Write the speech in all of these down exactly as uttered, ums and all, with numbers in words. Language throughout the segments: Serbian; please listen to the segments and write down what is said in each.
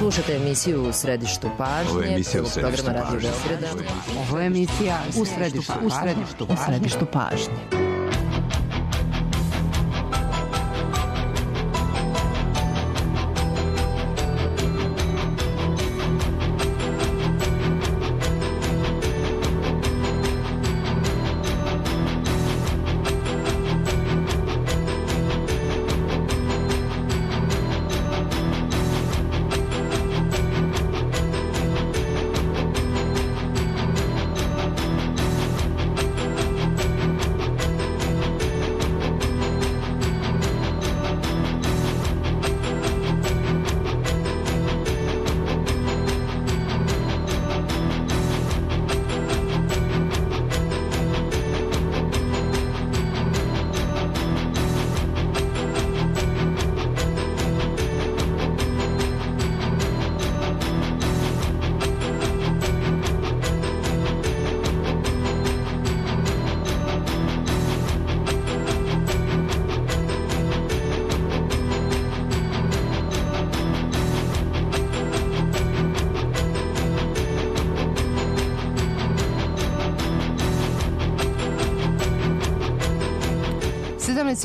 Slušajte emisiju U središtu pažnje. Ovo je emisija U središtu pažnje. Ovo je emisija U središtu pažnje. U središtu pažnje.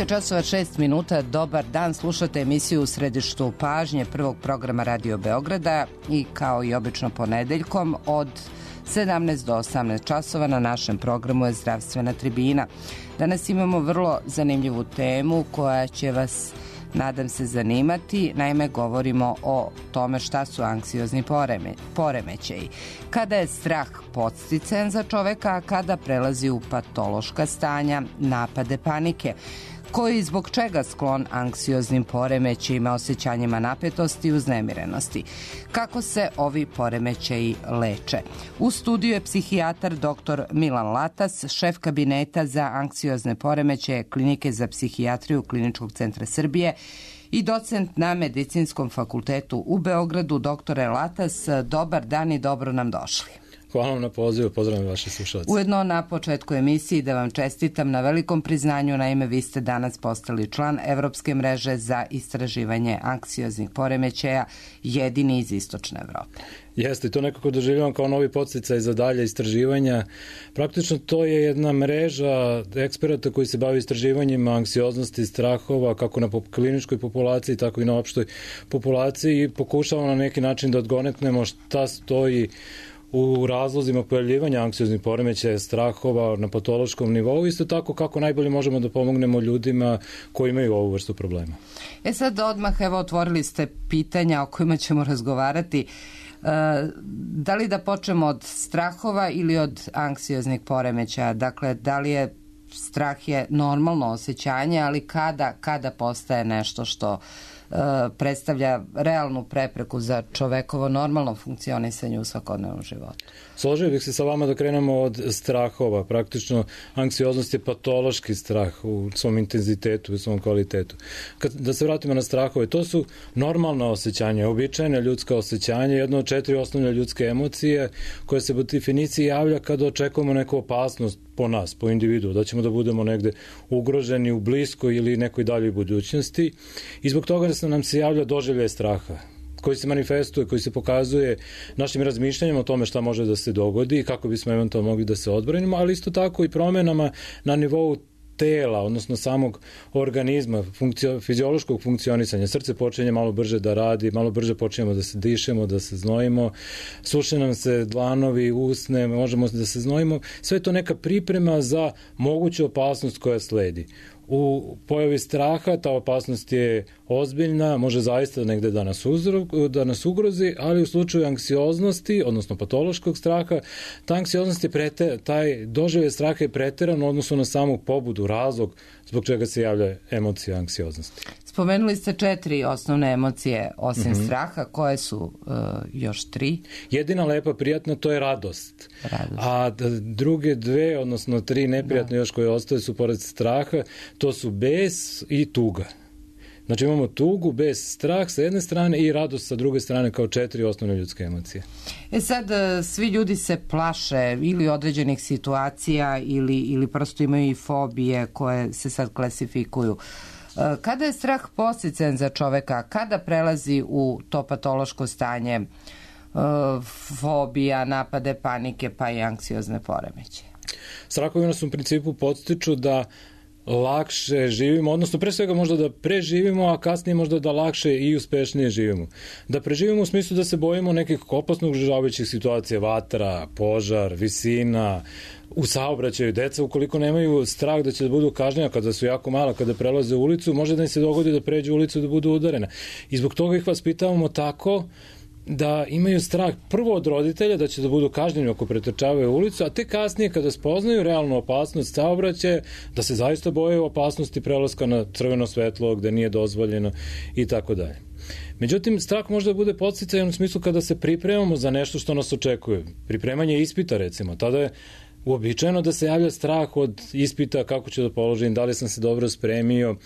sedamnaest časova šest minuta, dobar dan, slušate emisiju U središtu pažnje prvog programa Radio Beograda i kao i obično ponedeljkom od sedamnaest do osamnaest časova na našem programu je Zdravstvena tribina. Danas imamo vrlo zanimljivu temu koja će vas, nadam se, zanimati. Naime, govorimo o tome šta su anksiozni poreme, poremećaji. Kada je strah podsticajan za čoveka, a kada prelazi u patološka stanja, napade panike. Koji i zbog čega sklon anksioznim poremećajima, osjećanjima napetosti i uznemirenosti. Kako se ovi poremećaji leče? U studiju je psihijatar doktor Milan Latas, šef kabineta za anksiozne poremećaje Klinike za psihijatriju Kliničkog centra Srbije i docent na Medicinskom fakultetu u Beogradu. Doktore Latas, dobar dan i dobro nam došli. Hvala vam na pozivu, pozdravljam vaše slušalce. Ujedno na početku emisiji da vam čestitam na velikom priznanju, naime vi ste danas postali član Evropske mreže za istraživanje anksioznih poremećaja, jedini iz Istočne Evrope. Jeste, i to nekako doživljavam kao novi podsticaj za dalje istraživanja. Praktično to je jedna mreža eksperata koji se bavi istraživanjima anksioznosti i strahova kako na kliničkoj populaciji, tako i na opštoj populaciji i pokušavamo na neki način da odgonetnemo šta stoji u razlozima pojavljivanja anksioznih poremećaja, strahova na patološkom nivou, isto tako kako najbolje možemo da pomognemo ljudima koji imaju ovu vrstu problema. E sad odmah, evo, otvorili ste pitanja o kojima ćemo razgovarati. E, da li da počnemo od strahova ili od anksioznih poremećaja? Dakle, da li je strah je normalno osjećanje, ali kada, kada postaje nešto što predstavlja realnu prepreku za čovekovo normalno funkcionisanje u svakodnevnom životu? Složio bih se sa vama da krenemo od strahova. Praktično, anksioznost je patološki strah u svom intenzitetu, u svom kvalitetu. Kad, da se vratimo na strahove, to su normalna osjećanja, običajne ljudska osjećanja, jedno od četiri osnovne ljudske emocije koje se po definiciji javlja kada očekujemo neku opasnost po nas, po individu, da ćemo da budemo negde ugroženi u bliskoj ili nekoj daljoj budućnosti i zbog toga da nam se javlja doživljaj straha koji se manifestuje, koji se pokazuje našim razmišljanjima o tome šta može da se dogodi i kako bismo eventualno mogli da se odbranimo, ali isto tako i promenama na nivou tela, odnosno samog organizma, funkcio, fiziološkog funkcionisanja. Srce počinje malo brže da radi, malo brže počinjemo da se dišemo, da se znojimo, suše nam se dlanovi, usne, možemo da se znojimo. Sve je to neka priprema za moguću opasnost koja sledi. U pojavi straha ta opasnost je ozbiljna, može zaista negde da nas, uzro, da nas ugrozi, ali u slučaju anksioznosti, odnosno patološkog straha, ta anksioznost je preter, taj doživljaj straha je preteran u odnosu na samu pobudu, razlog zbog čega se javlja emocija anksioznosti. Spomenuli ste četiri osnovne emocije osim mm-hmm. straha, koje su uh, još tri? Jedina lepa, prijatna, to je radost. radost. A druge dve, odnosno tri neprijatne da. još koje ostaje su pored straha, to su bes i tuga. Znači imamo tugu, bes, strah sa jedne strane i radost sa druge strane kao četiri osnovne ljudske emocije. E sad, svi ljudi se plaše ili određenih situacija ili, ili prosto imaju i fobije koje se sad klasifikuju. Uh, Kada je strah podsticajan za čoveka, kada prelazi u to patološko stanje, fobija, napade panike pa i anksiozne poremeće? Strahovi nas u principu podstiču da lakše živimo, odnosno pre svega možda da preživimo, a kasnije možda da lakše i uspešnije živimo. Da preživimo u smislu da se bojimo nekih opasno ugrožavajućih situacija, vatra, požar, visina, u saobraćaju. Deca ukoliko nemaju strah da će da budu kažnjena kada su jako mala, kada prelaze ulicu, može da im se dogodi da pređu ulicu da budu udarena. I zbog toga ih vaspitavamo tako da imaju strah prvo od roditelja da će da budu kažnjeni ako pretrčavaju ulicu, a te kasnije kada spoznaju realnu opasnost saobraćaja, da se zaista boje opasnosti prelaska na crveno svetlo gde nije dozvoljeno i tako dalje. Međutim, strah može da bude podsticajan u smislu kada se pripremamo za nešto što nas očekuje. Pripremanje ispita, recimo. Tada je uobičajeno da se javlja strah od ispita, kako ću da položim, da li sam se dobro spremio,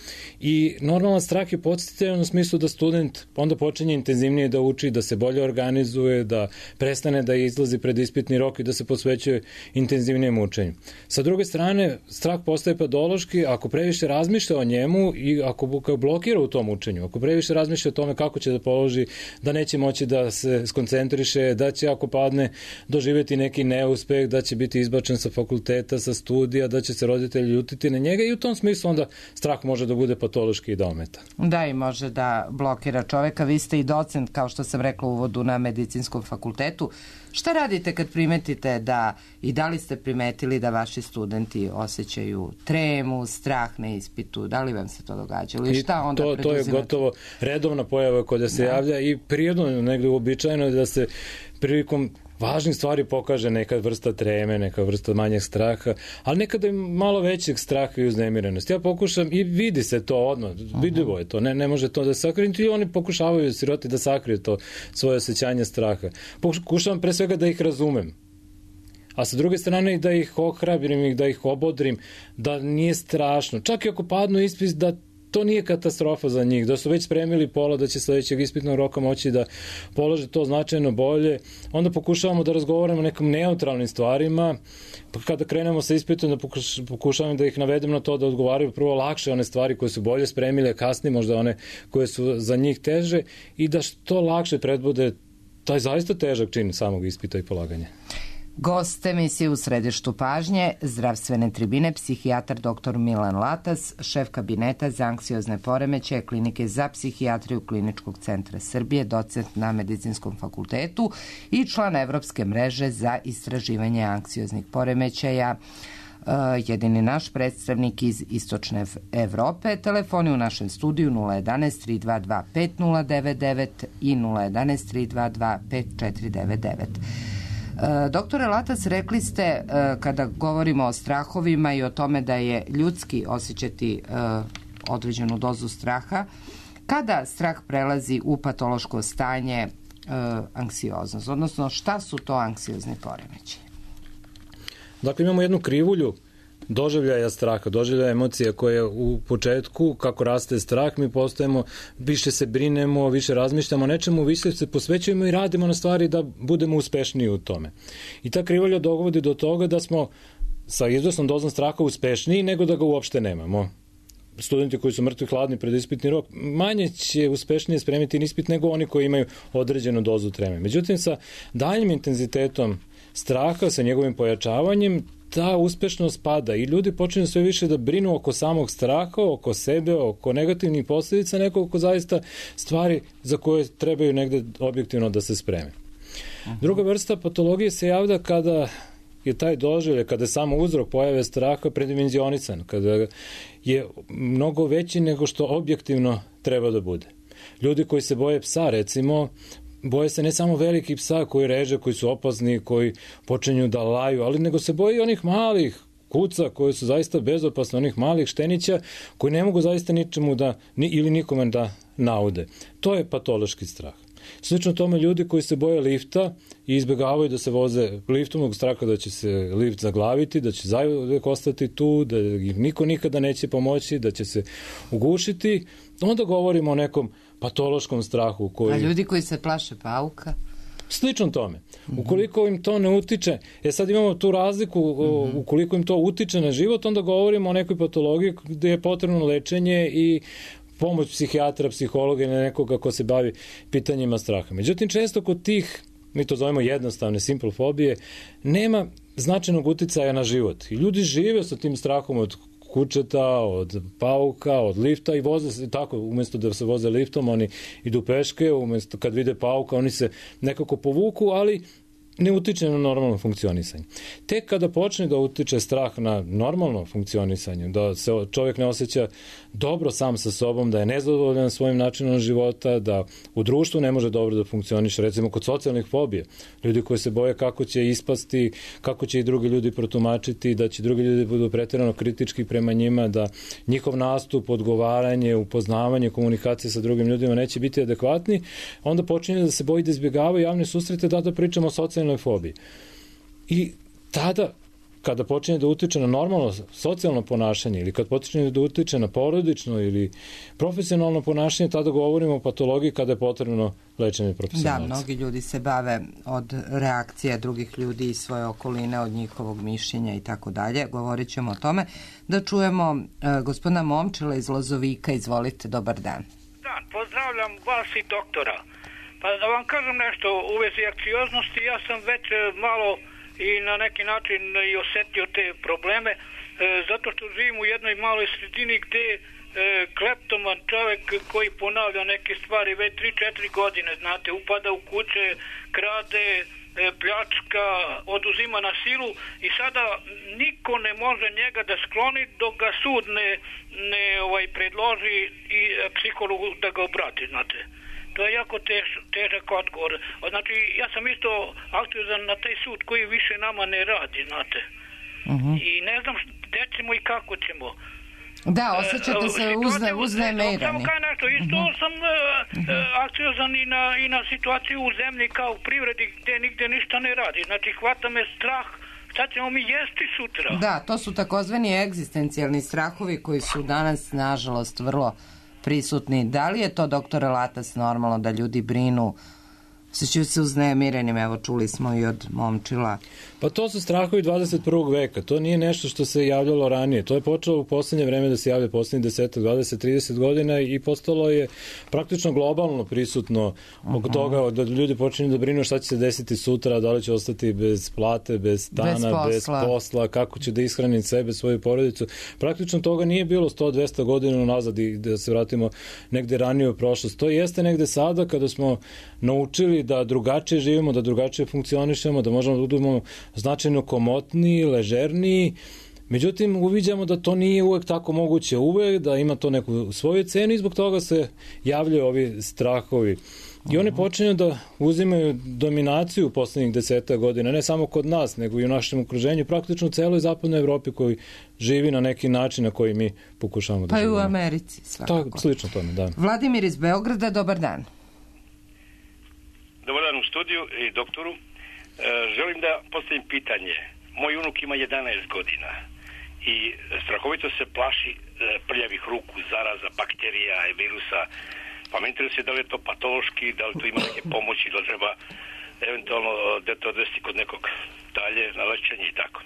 i normalan strah je podsticajan u smislu da student onda počinje intenzivnije da uči, da se bolje organizuje, da prestane da izlazi pred ispitni rok i da se posvećuje intenzivnijem učenju. Sa druge strane, strah postaje patološki ako previše razmišlja o njemu i ako blokira u tom učenju, ako previše razmišlja o tome kako će da položi, da neće moći da se skoncentriše, da će ako padne doživjeti neki neuspeh, da će biti izbačen sa fakulteta, sa studija, da će se roditelji ljutiti na njega, i u tom smislu onda strah može da bude patološki i da ometa. Da, i može da blokira čoveka. Vi ste i docent, kao što sam rekla u uvodu, na medicinskom fakultetu. Šta radite kad primetite da, i da li ste primetili da vaši studenti osjećaju tremu, strah na ispitu? Da li vam se to događalo? I šta onda to, preduzimate? To je gotovo redovna pojava koja se da. javlja i prirodno negde uobičajeno da se prilikom važnih stvari pokaže neka vrsta treme, neka vrsta manjeg straha, ali nekada i malo većeg straha i uznemirenosti. Ja pokušam, i vidi se to odmah, vidljivo je to, ne, ne može to da sakrije, i oni pokušavaju siroti da sakriju to svoje osjećanje straha. Pokušavam pre svega da ih razumem, a sa druge strane i da ih ohrabrim i da ih obodrim, da nije strašno. Čak i ako padnu ispit, da to nije katastrofa za njih, da su već spremili pola, da će sledećeg ispitnog roka moći da polože to značajno bolje. Onda pokušavamo da razgovaramo o nekim neutralnim stvarima, pa kada krenemo sa ispitom da pokušavam da ih navedem na to da odgovaraju prvo lakše one stvari koje su bolje spremile, a kasnije možda one koje su za njih teže, i da što lakše predbude taj zaista težak čin samog ispita i polaganja. Gost emisije U središtu pažnje, zdravstvene tribine, psihijatar doktor Milan Latas, šef kabineta za anksiozne poremećaje Klinike za psihijatriju Kliničkog centra Srbije, docent na Medicinskom fakultetu i član Evropske mreže za istraživanje anksioznih poremećaja, jedini naš predstavnik iz Istočne Evrope. Telefoni u našem studiju nula jedanaest tri dva dva pet nula devet devet i nula jedanaest tri dva dva pet četiri devet devet. Doktore Latas, rekli ste kada govorimo o strahovima i o tome da je ljudski osjećati određenu dozu straha, kada strah prelazi u patološko stanje anksioznost, odnosno šta su to anksiozni poremećaji? Dakle, imamo jednu krivulju doživljaja straha, doživljaja emocija koje u početku, kako raste strah, mi postajemo, više se brinemo, više razmišljamo o nečemu, više se posvećujemo i radimo na stvari da budemo uspešniji u tome. I ta krivulja dovodi do toga da smo sa izvesnom dozom straha uspešniji nego da ga uopšte nemamo. Studenti koji su mrtvi hladni pred ispitni rok manje će uspešnije spremiti ispit nego oni koji imaju određenu dozu treme. Međutim, sa daljim intenzitetom straha, sa njegovim pojačavanjem, ta uspešnost pada i ljudi počinju sve više da brinu oko samog straha, oko sebe, oko negativnih posljedica, nego oko zaista stvari za koje trebaju negde objektivno da se spreme. Druga vrsta patologije se javlja kada je taj doživljaj, kada je samo uzrok pojave straha predimenzionisan, kada je mnogo veći nego što objektivno treba da bude. Ljudi koji se boje psa, recimo, boje se ne samo velikih psa koji reže, koji su opasni, koji počinju da laju, ali nego se boje i onih malih kuca koji su zaista bezopasni, onih malih štenića koji ne mogu zaista ničemu da, ni, ili nikome da naude. To je patološki strah. Slično tome ljudi koji se boje lifta i izbjegavaju da se voze liftom zbog straha da će se lift zaglaviti, da će zauvek ostati tu, da ih niko nikada neće pomoći, da će se ugušiti, onda govorimo o nekom patološkom strahu koji... A ljudi koji se plaše pauka? Slično tome. Ukoliko im to ne utiče, e sad imamo tu razliku, ukoliko im to utiče na život, onda govorimo o nekoj patologiji gde je potrebno lečenje i pomoć psihijatra, psihologa ili nekoga ko se bavi pitanjima straha. Međutim, često kod tih, mi to zovemo jednostavne, simple fobije, nema značajnog uticaja na život. I ljudi žive sa tim strahom od kučeta, od pauka, od lifta i voze se tako, umjesto da se voze liftom, oni idu peške, umjesto kad vide pauka, oni se nekako povuku, ali ne utiče na normalno funkcionisanje. Tek kada počne da utiče strah na normalno funkcionisanje, da se čovjek ne osjeća dobro sam sa sobom, da je nezadovoljan svojim načinom života, da u društvu ne može dobro da funkcioniše, recimo kod socijalnih fobija, ljudi koji se boje kako će ispasti, kako će i drugi ljudi protumačiti, da će drugi ljudi budu pretjerano kritički prema njima, da njihov nastup, odgovaranje, upoznavanje, komunikacije sa drugim ljudima neće biti adekvatni, onda počinje da se boji da izbjegava javne susrete, da da pričamo o socijalnoj fobiji. I tada, kada počinje da utiče na normalno socijalno ponašanje ili kad počinje da utiče na porodično ili profesionalno ponašanje, tada govorimo o patologiji kada je potrebno lečenje profesionalca. Da, mnogi ljudi se bave od reakcija drugih ljudi i svoje okoline, od njihovog mišljenja i tako dalje. Govorit ćemo o tome. Da čujemo uh, gospodina Momčila iz Lozovika. Izvolite, dobar dan. Da, pozdravljam vas i doktora. Pa da vam kažem nešto u vezi anksioznosti, ja sam već malo i na neki način i osetio te probleme, e, zato što živim u jednoj maloj sredini gde e, kleptoman čovjek koji ponavlja neke stvari već tri četiri godine, znate, upada u kuće, krade, e, pljačka, oduzima na silu i sada niko ne može njega da skloni dok ga sud ne, ne ovaj, predloži i psihologu da ga obrati, znate. To je jako tež, težak odgovor. Znači, ja sam isto aktivizan na taj sud koji više nama ne radi, znate. Uh-huh. I ne znam gde ćemo i kako ćemo. Da, osjećate se uzne, uznemirani. Samo kaj nešto, isto uh-huh. sam uh-huh. aktivizan i na, i na situaciju u zemlji kao u privredi gde nigde ništa ne radi. Znači, hvata me strah, šta ćemo mi jesti sutra? Da, to su takozvani egzistencijalni strahovi koji su danas, nažalost, vrlo prisutni. Da li je to, doktore Latas, normalno da ljudi brinu, osjećaju se uznemirenim, evo čuli smo i od Momčila? Pa to su strahovi dvadeset prvog veka, to nije nešto što se javljalo ranije, to je počelo u poslednje vreme da se javlja poslednjih deset, dvadeset, trideset godina i postalo je praktično globalno prisutno oko toga da ljudi počinju da brinu šta će se desiti sutra, da li će ostati bez plate, bez stana, bez posla, bez posla kako će da ishrani sebe, svoju porodicu. Praktično toga nije bilo sto do dvesta godina nazad i da se vratimo negde ranije u prošlost. To jeste negde sada kada smo naučili da drugačije živimo, da drugačije funkcionišemo, da možemo da budemo značajno komotniji, ležerniji. Međutim, uviđamo da to nije uvek tako moguće uvek, da ima to neku svoju cenu i zbog toga se javljaju ovi strahovi. I one počinju da uzimaju dominaciju u poslednjih deseta godina, ne samo kod nas, nego i u našem okruženju, praktično u celoj zapadnoj Evropi koji živi na neki način na koji mi pokušavamo da živimo. Pa i u Americi svakako. To, slično tome, da. Vladimir iz Beograda, dobar dan. Dobar dan u studiju i doktoru. E, želim da postavim pitanje. Moj unuk ima jedanaest godina i strahovito se plaši e, prljavih ruku, zaraza, bakterija i virusa. Pa me interesuje da li je to patološki, da li to ima neke pomoći, da li treba eventualno dete odvesti kod nekog dalje na lečenje i tako.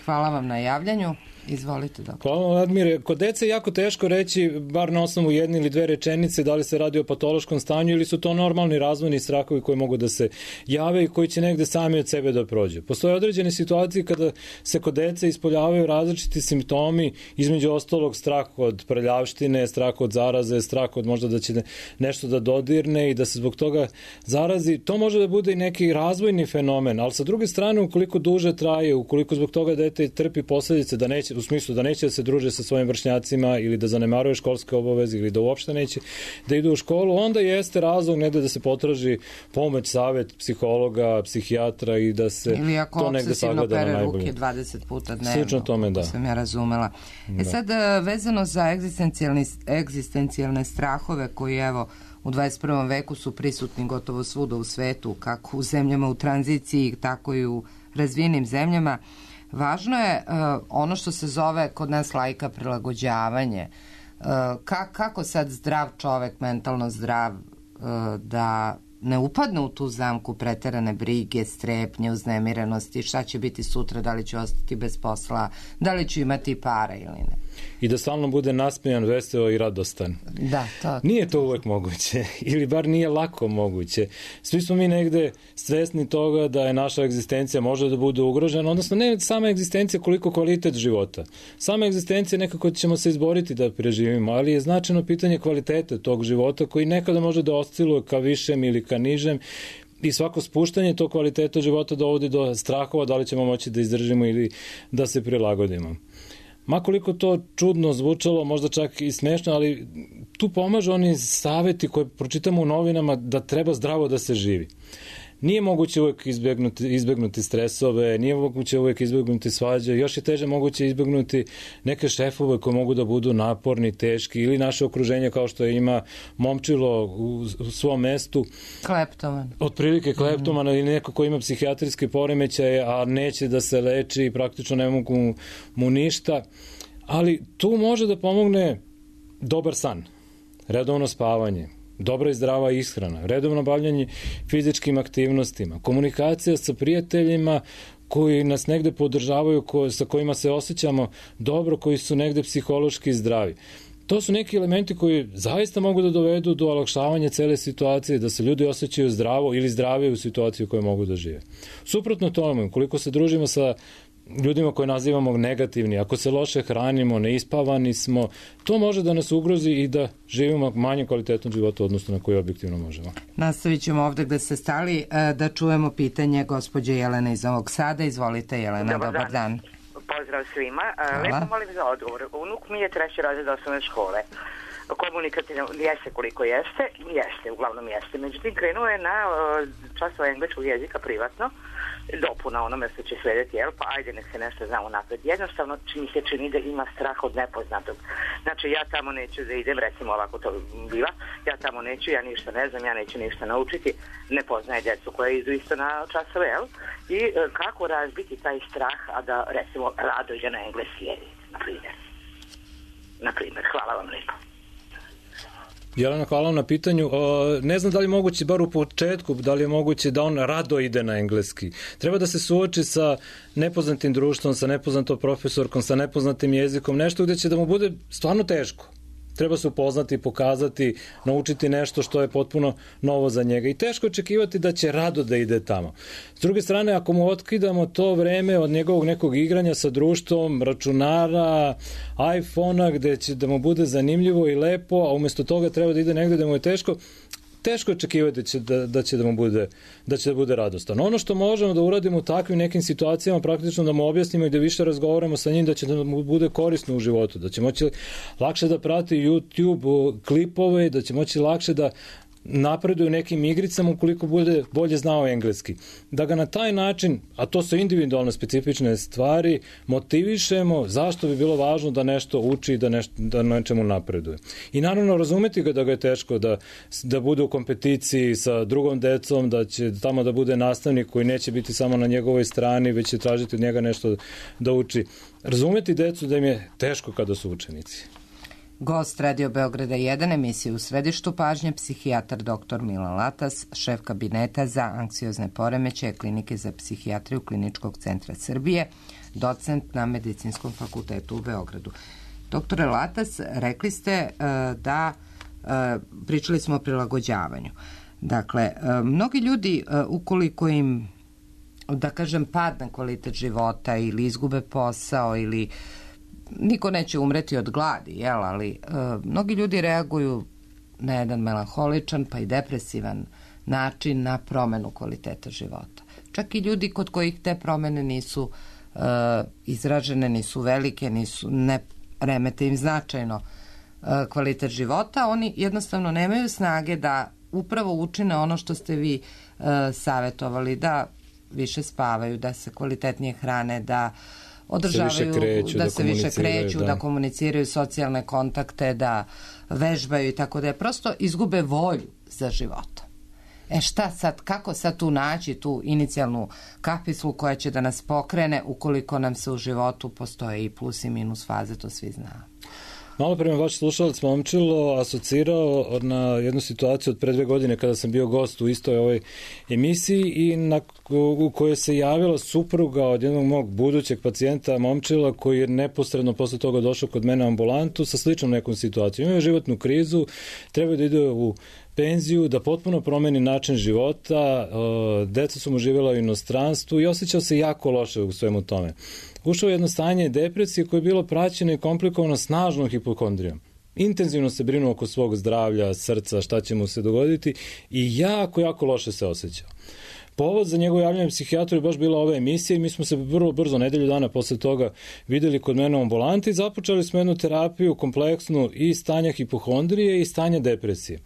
Hvala vam na javljanju. Izvolite, doktor. Hvala, Vladimire. Kod dece je jako teško reći, bar na osnovu jedne ili dve rečenice, da li se radi o patološkom stanju ili su to normalni razvojni strahovi koji mogu da se jave i koji će negde sami od sebe da prođu. Postoje određene situacije kada se kod dece ispoljavaju različiti simptomi, između ostalog strah od prljavštine, strah od zaraze, strah od možda da će nešto da dodirne i da se zbog toga zarazi. To može da bude i neki razvojni fenomen, ali sa druge strane, ukoliko duže traje, ukoliko zbog toga dete trpi posledice da neće, u smislu da neće da se druže sa svojim vršnjacima ili da zanemaruje školske obaveze ili da uopšte neće da idu u školu, onda jeste razlog negde da se potraži pomoć, savet psihologa, psihijatra i da se to negde sagleda na najbolje. Ili ako obsesivno pere ruke dvadeset puta dnevno. Slično tome, da. Sam ja razumela. Da. E sad, vezano za egzistencijalne strahove koji, evo, u dvadeset prvom veku su prisutni gotovo svuda u svetu, kako u zemljama u tranziciji, tako i u razvijenim zemljama. Važno je uh, ono što se zove kod nas laika prilagođavanje. Uh, ka, kako sad zdrav čovek, mentalno zdrav, uh, da ne upadne u tu zamku preterane brige, strepnje, uznemirenosti, šta će biti sutra, da li ću ostati bez posla, da li ću imati para ili ne. I da stalno bude nasmejan, veseo i radostan. Da, to. Nije to uvek moguće, ili bar nije lako moguće. Svi smo mi negde svesni toga da je naša egzistencija može da bude ugrožena, odnosno ne sama egzistencija koliko kvalitet života. Sama egzistencija nekako ćemo se izboriti da preživimo, ali je značajno pitanje kvaliteta tog života koji nekada može da osciluje ka višem ili ka nižem i svako spuštanje tog kvaliteta života dovodi do strahova da li ćemo moći da izdržimo ili da se prilagodimo. Makoliko to čudno zvučalo, možda čak i smešno, ali tu pomažu oni saveti koje pročitamo u novinama da treba zdravo da se živi. Nije moguće uvek izbjegnuti, izbjegnuti stresove, nije moguće uvek izbjegnuti svađe, još je teže moguće izbjegnuti neke šefove koji mogu da budu naporni, teški ili naše okruženje kao što ima momčilo u, u svom mestu. Kleptoman. Otprilike kleptoman mm. ili neko ko ima psihijatrijske poremećaje, a neće da se leči i praktično ne mogu mu, mu ništa. Ali tu može da pomogne dobar san, redovno spavanje, dobra i zdrava ishrana, redovno bavljanje fizičkim aktivnostima, komunikacija sa prijateljima koji nas negde podržavaju, ko, sa kojima se osjećamo dobro, koji su negde psihološki zdravi. To su neki elementi koji zaista mogu da dovedu do olakšavanja cele situacije, da se ljudi osjećaju zdravo ili zdravije u situaciji u kojoj mogu da žive. Suprotno tome, koliko se družimo sa ljudima koje nazivamo negativni, ako se loše hranimo, neispavani smo, to može da nas ugrozi i da živimo manje kvalitetnog života odnosno na koji objektivno možemo. Nastavit ćemo ovde gde ste stali, da čujemo pitanje gospođe Jelene iz Novog Sada. Izvolite, Jelena, dobar, dobar dan. dan. Pozdrav svima. Hvala. Lepo molim za odgovor. Unuk mi je treći razred osnovne škole. Komunikativno jeste koliko jeste, jeste, uglavnom jeste. Međutim, krenuo je na časova engleskog jezika privatno, dopuna onome što će slediti, jel, pa ajde nek se nešto zna unapred. Jednostavno mi se čini da ima strah od nepoznatog. Znači ja tamo neću da idem, recimo ovako to biva, ja tamo neću, ja ništa ne znam, ja neću ništa naučiti, ne poznaje djecu koje idu isto na časove, jel, i e, kako razbiti taj strah, a da recimo rado ide na engleski jezik, na primjer. Na primjer, hvala vam lijepo. Jelena, hvala vam na pitanju. Ne znam da li je moguće, bar u početku, da li je moguće da on rado ide na engleski. Treba da se suoči sa nepoznatim društvom, sa nepoznatom profesorkom, sa nepoznatim jezikom, nešto gde će da mu bude stvarno teško. Treba se upoznati, pokazati, naučiti nešto što je potpuno novo za njega. I teško očekivati da će rado da ide tamo. S druge strane, ako mu otkidamo to vreme od njegovog nekog igranja sa društvom, računara, iPhona, gde će da mu bude zanimljivo i lepo, a umesto toga treba da ide negde da mu je teško, teško očekivati će da, da će da mu bude, da će da bude radostan. Ono što možemo da uradimo u takvim nekim situacijama, praktično da mu objasnimo i da više razgovaramo sa njim, da će da mu bude korisno u životu, da će moći lakše da prati YouTube klipove, da će moći lakše da napreduju nekim igricama ukoliko bude bolje znao engleski. Da ga na taj način, a to su individualne specifične stvari, motivišemo zašto bi bilo važno da nešto uči i da, nešto, da nečemu napreduje. I naravno razumeti ga da ga je teško da, da bude u kompeticiji sa drugom decom, da će tamo da bude nastavnik koji neće biti samo na njegovoj strani, već će tražiti od njega nešto da uči. Razumeti decu da im je teško kada su učenici. Gost Radio Beograda jedan, emisije u središtu pažnje, psihijatar doktor Milan Latas, šef kabineta za anksiozne poremećaje Klinike za psihijatriju Kliničkog centra Srbije, docent na Medicinskom fakultetu u Beogradu. Doktore Latas, rekli ste uh, da uh, pričali smo o prilagođavanju. Dakle, uh, mnogi ljudi, uh, ukoliko im, da kažem, padne kvalitet života ili izgube posao ili niko neće umreti od gladi, jel, ali e, mnogi ljudi reaguju na jedan melanholičan pa i depresivan način na promenu kvaliteta života. Čak i ljudi kod kojih te promene nisu e, izražene, nisu velike, nisu, ne remete im značajno e, kvalitet života, oni jednostavno nemaju snage da upravo učine ono što ste vi e, savjetovali, da više spavaju, da se kvalitetnije hrane, da održavaju, se kreću, da, da se više kreću, da. da komuniciraju socijalne kontakte, da vežbaju i tako da je prosto izgube volju za životom. E šta sad, kako sad tu naći tu inicijalnu kapislu koja će da nas pokrene ukoliko nam se u životu postoje i plus i minus faze, to svi znamo. Malo pre me vaš slušalac Momčilo asocirao na jednu situaciju od pre dve godine kada sam bio gost u istoj ovoj emisiji i na, u kojoj se javila supruga od jednog mog budućeg pacijenta Momčila koji je neposredno posle toga došao kod mene u ambulantu sa sličnom nekom situacijom. Imao je životnu krizu, treba da ide u penziju, da potpuno promeni način života, deca su mu živjela u inostranstvu i osjećao se jako loše u svemu tome. Ušao u jedno stanje depresije koje je bilo praćeno i komplikovano snažnom hipohondrijom. Intenzivno se brinuo oko svog zdravlja, srca, šta će mu se dogoditi i jako, jako loše se osjećao. Povod za njegovo javljanje psihijatru je baš bila ova emisija i mi smo se vrlo brzo, nedelju dana posle toga, videli kod mene u ambulanti i započeli smo jednu terapiju kompleksnu i stanja hipohondrije i stanja depresije.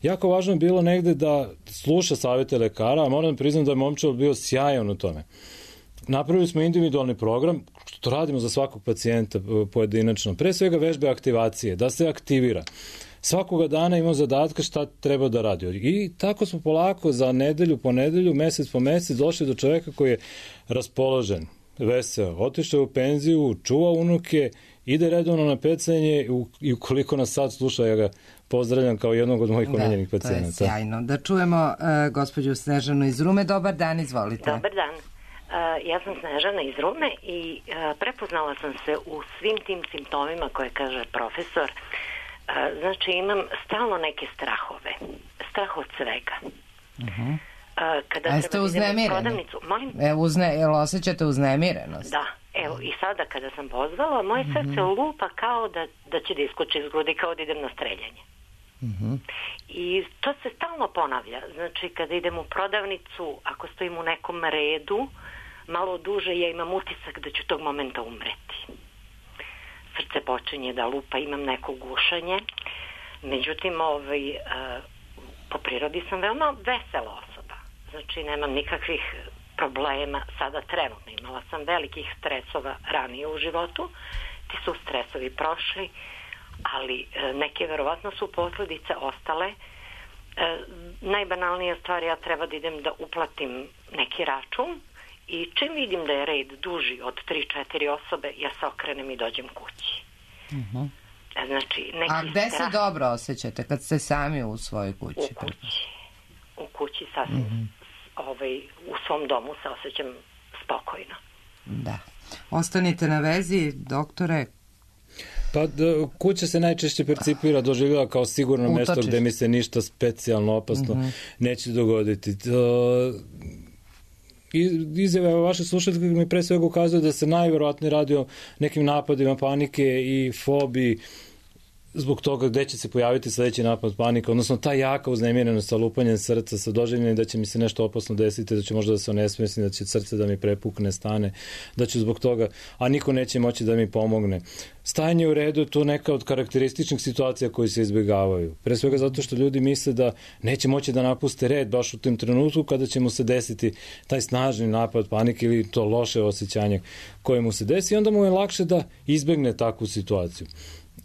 Jako važno je bilo negde da sluša savete lekara, a moram da priznam da je Momčilo bio sjajan u tome. Napravili smo individualni program, što radimo za svakog pacijenta pojedinačno. Pre svega vežbe aktivacije, da se aktivira. Svakoga dana imamo zadatka šta treba da radi. I tako smo polako za nedelju po nedelju, mesec po mesec došli do čoveka koji je raspoložen, veseo, otišao u penziju, čuva unuke, ide redovno na pecanje i ukoliko nas sad sluša, ja ga pozdravljam kao jednog od mojih omiljenih pacijenata. Da, to je sjajno. Da čujemo uh, gospođu Snežanu iz Rume. Dobar dan, izvolite. Dobar dan. Uh, ja sam Snežana iz Rume i uh, prepoznala sam se u svim tim simptomima koje kaže profesor. Uh, znači imam stalno neke strahove. Strah od svega. Uh-huh. Uh, kada A jeste uznemireni? Molim? E, uzne, jel osjećate uznemirenost? Da. Evo, i sada kada sam pozvala, moje srce uh-huh. lupa kao da, da će da iskoči iz grudi, kao da idem na streljanje. Uh-huh. I to se stalno ponavlja. Znači, kada idem u prodavnicu, ako stojim u nekom redu, malo duže, ja imam utisak da ću tog momenta umreti. Srce počinje da lupa, imam neko gušanje. Međutim, ovaj, po prirodi sam veoma vesela osoba. Znači, nemam nikakvih problema sada trenutno. Imala sam velikih stresova ranije u životu. Ti su stresovi prošli, ali neke verovatno su posljedice ostale. E, najbanalnija stvar, ja treba da idem da uplatim neki račun i čim vidim da je red duži od tri četiri osobe, ja se okrenem i dođem kući. Uh-huh. Znači, neki A gde strah... se dobro osjećate kad ste sami u svojoj kući? U kući. U kući sasvim. Uh-huh. Ovaj, u svom domu se osjećam spokojno. Da. Ostanite na vezi, doktore. Pa da, kuća se najčešće percipira, doživljava kao sigurno Utočiš. mesto gde mi se ništa specijalno opasno uh-huh. neće dogoditi. To, izjave vaše slušateljke mi pre svega ukazuju da se najverovatnije radi o nekim napadima panike i fobiji zbog toga gde će se pojaviti sledeći napad panika, odnosno ta jaka uznemirenost sa lupanjem srca, sa doživljenjem da će mi se nešto opasno desiti, da će možda da se onesvesni, da će srce da mi prepukne, stane, da ću zbog toga, a niko neće moći da mi pomogne. Stajanje u redu je to neka od karakterističnih situacija koji se izbjegavaju. Pre svega zato što ljudi misle da neće moći da napuste red baš u tim trenutku kada će mu se desiti taj snažni napad panike ili to loše osjećanje koje mu se desi i onda mu je lakše da izbegne takvu situaciju.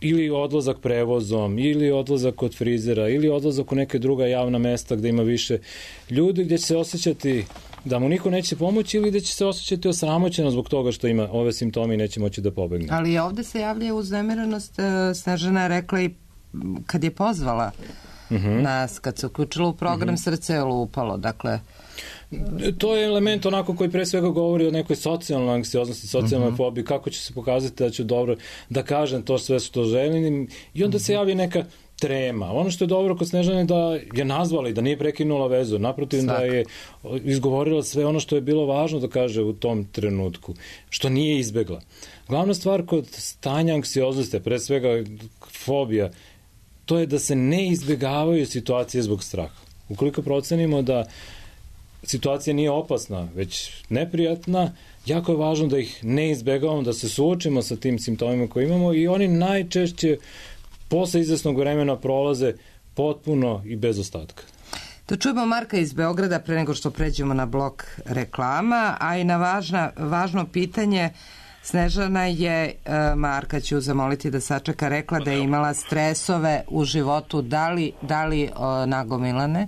Ili odlazak prevozom, ili odlazak kod frizera, ili odlazak u neke druga javna mesta gde ima više ljudi, gde će se osjećati da mu niko neće pomoći ili gde će se osjećati osramoćeno zbog toga što ima ove simptome i neće moći da pobegne. Ali ovde se javlja uznemirenost, Snežana je rekla i kad je pozvala uh-huh. nas, kad se uključila u program, uh-huh. srce je lupalo, dakle... To je element onako koji pre svega govori o nekoj socijalnoj anksioznosti, socijalnoj uh-huh. fobiji, kako će se pokazati da ću dobro da kažem to sve što želim i onda uh-huh. se javi neka trema. Ono što je dobro kod Snežane da je nazvala i da nije prekinula vezu, naprotiv Svak. da je izgovorila sve ono što je bilo važno da kaže u tom trenutku, što nije izbegla. Glavna stvar kod stanja anksioznosti, pre svega fobija, to je da se ne izbegavaju situacije zbog straha. Ukoliko procenimo da situacija nije opasna, već neprijatna, jako je važno da ih ne izbegavamo, da se suočimo sa tim simptomima koje imamo i oni najčešće posle izvesnog vremena prolaze potpuno i bez ostatka. Da čujemo Marka iz Beograda pre nego što pređemo na blok reklama, a i na važna, važno pitanje Snežana je, Marka ću zamoliti da sačeka, rekla da je imala stresove u životu, da li, da li o, nagomilane.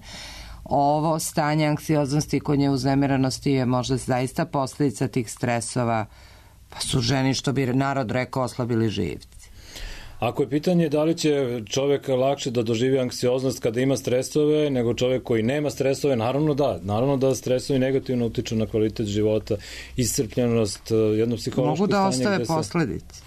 Ovo stanje anksioznosti kod nje uznemiranosti je možda zaista posljedica tih stresova, pa su ženi, što bi narod rekao, oslabili živci. Ako je pitanje da li će čovjek lakše da doživi anksioznost kada ima stresove nego čovjek koji nema stresove, naravno da. Naravno da stresovi negativno utiču na kvalitet života, iscrpljenost, jedno psihološko stanje. Mogu da ostave posledice.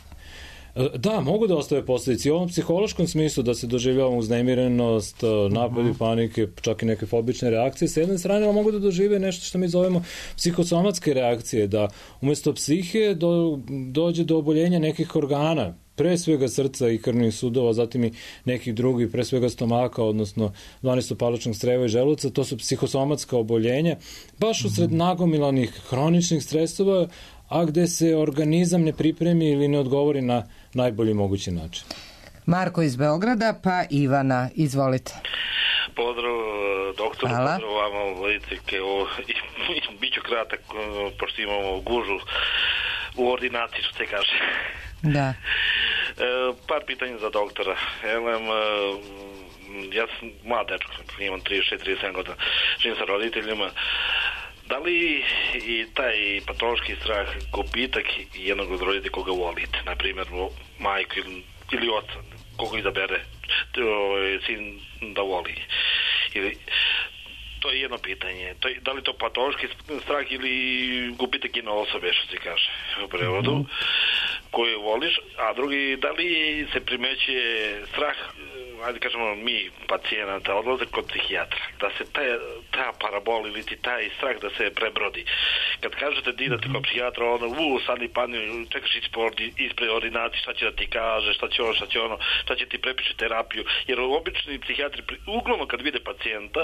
Da, mogu da ostave posljedice. I u ovom psihološkom smislu da se doživljava uznemirenost, napadi, uh-huh. panike, čak i neke fobične reakcije. S jedne strane mogu da dožive nešto što mi zovemo psihosomatske reakcije, da umjesto psihe do, dođe do oboljenja nekih organa, pre svega srca i krvnih sudova, zatim i nekih drugih, pre svega stomaka, odnosno dvanestopaločnog creva i želuca. To su psihosomatska oboljenja, baš usred nagomilanih hroničnih stresova, a gde se organizam ne pripremi ili ne odgovori na najbolji mogući način. Marko iz Beograda, pa Ivana, izvolite. Pozdrav doktoru, Hvala. pozdrav vama Vojicike, biću kratak, pošto imamo gužu u ordinaciji, što se kaže. Da. E, par pitanja za doktora. Elem, ja sam mlad dečko, imam trideset šest trideset sedam godina, živim sa roditeljima. Da li i taj patološki strah gubitak jednog od roditelja koga volite, na primjer majku ili, ili oca, koga izabere sin da voli, ili to je jedno pitanje. To je, da li to patološki strah ili gubitak jedne osobe, što se kaže u prevodu, mm-hmm. koju voliš, a drugi, da li se primećuje strah, ajde kažemo mi, pacijenata, odlaze kod psihijatra, da se taj, ta parabol ili ti taj strah da se prebrodi. Kad kažete da idete kod psihijatra, ono, u, sad ni padne, čekaš ispred ordinacije, šta će da ti kaže, šta će ono, šta će ono, šta će ti prepiše terapiju, jer obični psihijatri, uglavnom kad vide pacijenta,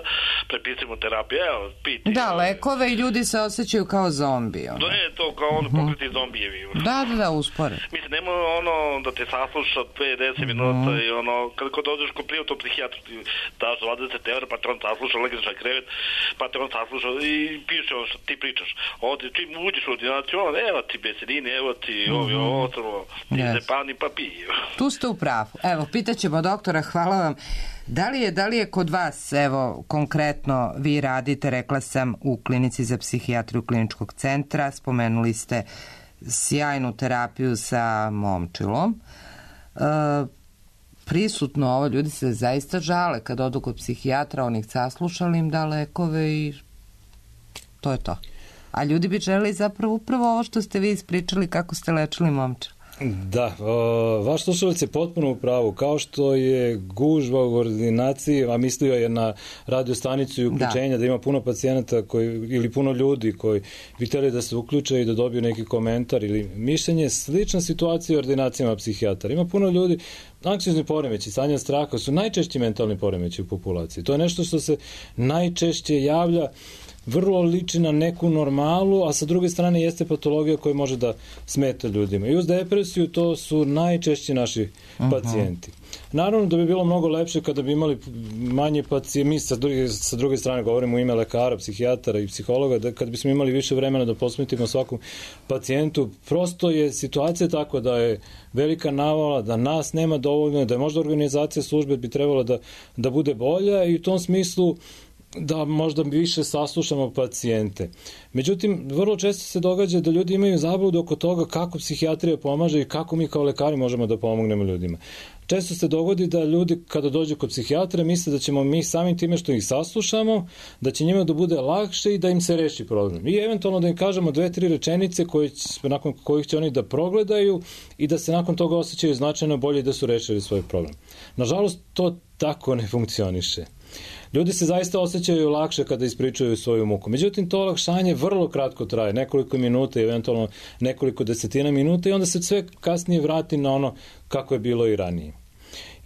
prepisimo terapiju, evo, piti. Da, lekove i ljudi se osjećaju kao zombi. Ono. Da, je to kao ono pokriti zombijevi. Da, da, da, uspore. Mislim, nema ono da te sasluša dve do deset minuta i ono, kad kod dođeš kod privatnog psihijatra, daš dvadeset evra, pa te on sasluša, legneš na krevet, pa te on sasluša i piše ono što ti pričaš. Ovdje, čim uđeš u ordinaciju, ono, evo ti besedine, evo ti ovi, ovo, ovo, ti se pani pa piji. Tu ste u pravu. Evo, pitaćemo doktora, hvala vam. Da li je, da li je kod vas, evo, konkretno vi radite, rekla sam, u klinici za psihijatriju kliničkog centra, spomenuli ste sjajnu terapiju sa momčilom. E, prisutno ovo, ljudi se zaista žale kad odu kod psihijatra, on ih saslušali, im da lekove i to je to. A ljudi bi želi zapravo upravo ovo što ste vi ispričali kako ste lečili momčil. Da, o, vaš slušalac je potpuno u pravu. Kao što je gužva u ordinaciji, a mislio je na radio stanicu i uključenja, da, da ima puno pacijenata koji, ili puno ljudi koji bi htjeli da se uključe i da dobiju neki komentar ili mišljenje, slična situacija u ordinacijama psihijatara. Ima puno ljudi, anksiozni poremeći, stanja straha su najčešći mentalni poremeći u populaciji. To je nešto što se najčešće javlja, vrlo liči na neku normalu, a sa druge strane jeste patologija koja može da smeta ljudima. I uz depresiju to su najčešći naši uh-huh. pacijenti. Naravno da bi bilo mnogo lepše kada bi imali manje pacijenti, mi sa druge, sa druge strane govorimo u ime lekara, psihijatara i psihologa, da kad bismo imali više vremena da posvetimo svakom pacijentu, prosto je situacija tako da je velika navala, da nas nema dovoljno, da je možda organizacija službe bi trebala da, da bude bolja i u tom smislu da možda više saslušamo pacijente. Međutim, vrlo često se događa da ljudi imaju zabludu oko toga kako psihijatrija pomaže i kako mi kao lekari možemo da pomognemo ljudima. Često se dogodi da ljudi kada dođu kod psihijatra misle da ćemo mi samim time što ih saslušamo, da će njima da bude lakše i da im se reši problem. I eventualno da im kažemo dve, tri rečenice koje, nakon kojih će oni da progledaju i da se nakon toga osjećaju značajno bolje da su rešili svoj problem. Nažalost, to tako ne funkcioniše. Ljudi se zaista osjećaju lakše kada ispričaju svoju muku. Međutim, to olakšanje vrlo kratko traje, nekoliko minuta, eventualno nekoliko desetina minuta i onda se sve kasnije vrati na ono kako je bilo i ranije.